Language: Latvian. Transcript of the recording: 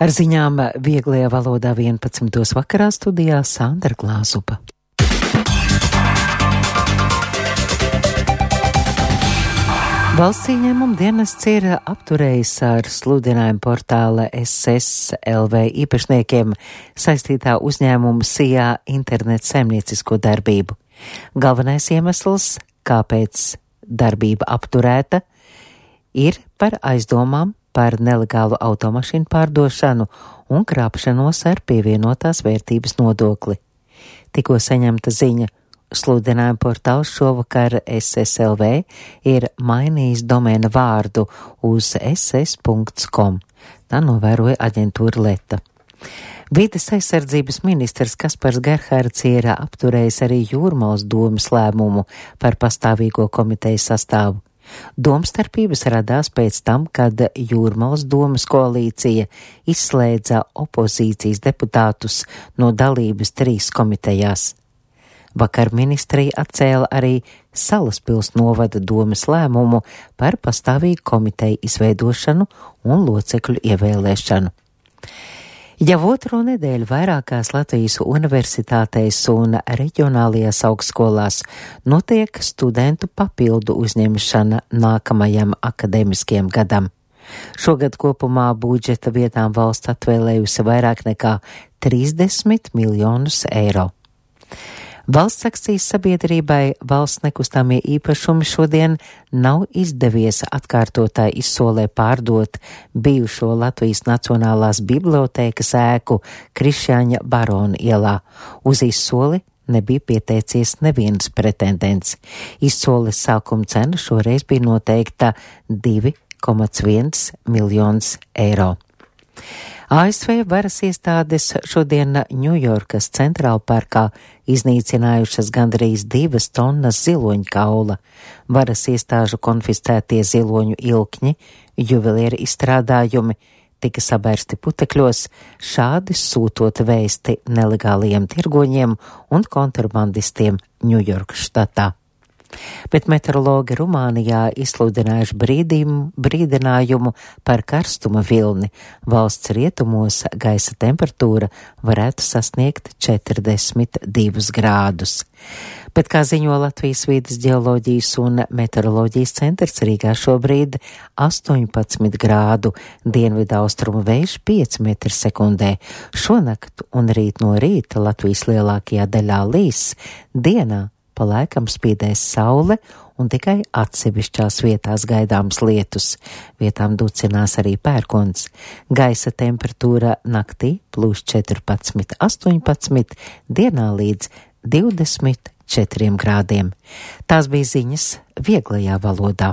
Ar ziņām vieglajā valodā 11. vakarā studijā Sandra Glāzupa. Valsts ieņēmuma dienests ir apturējis ar sludinājumu portāla SS.LV īpašniekiem saistītā uzņēmuma SIA internetu saimniecisko darbību. Galvenais iemesls, kāpēc darbība apturēta, ir par aizdomām par nelegālu automašīnu pārdošanu un krāpšanos ar pievienotās vērtības nodokli. Tikko saņemta ziņa, sludinājuma portāls šovakar SS.LV ir mainījis domēna vārdu uz ss.com. Tā novēroja aģentūra Leta. Vides aizsardzības ministrs Kaspars Gerhards ir apturējis arī Jūrmalas domes lēmumu par pastāvīgo komitejas sastāvu. Domstarpības radās pēc tam, kad Jūrmalas domes koalīcija izslēdza opozīcijas deputātus no dalības 3 komitejās. Vakar ministrija atcēla arī Salaspils novada domes lēmumu par pastāvīgu komiteju izveidošanu un locekļu ievēlēšanu. Jau otro nedēļu vairākās Latvijas universitātēs un reģionālajās augstskolās notiek studentu papildu uzņemšana nākamajam akadēmiskajam gadam. Šogad kopumā budžeta vietām valsts atvēlējusi vairāk nekā 30 miljonus eiro. Valsts akcijas sabiedrībai valsts nekustamie īpašumi šodien nav izdevies atkārtotā izsolē pārdot bijušo Latvijas Nacionālās bibliotēkas ēku Krišjāņa Barona ielā. Uz izsoli nebija pieteicies neviens pretendents. Izsoles sākuma cena šoreiz bija noteikta 2,1 miljonus eiro. ASV varas iestādes šodien Ņujorkas centrāla parkā iznīcinājušas gandrīz 2 tonnas ziloņkaula. Varas iestāžu konfiscētie ziloņu ilkņi, juvelieru izstrādājumi tika sabērsti putekļos, šādi sūtot vēsti nelegāliem tirgoņiem un kontrabandistiem Ņujorkas štatā. Bet meteorologi Rumānijā izsludinājuši brīdinājumu par karstuma vilni. Valsts rietumos gaisa temperatūra varētu sasniegt 42 grādus. Bet, kā ziņo Latvijas vides ģeoloģijas un meteoroloģijas centrs, Rīgā šobrīd 18 grādu, dienvidu austrumu vējš 5 m/sekundē. Šonakt un rīt no rīta Latvijas lielākajā daļā līs, dienā pa laikam spīdēs saule un tikai atsevišķās vietās gaidāms lietus. Vietām ducinās arī pērkons. Gaisa temperatūra naktī +14, 18, dienā līdz 24 grādiem. Tās bija ziņas vieglajā valodā.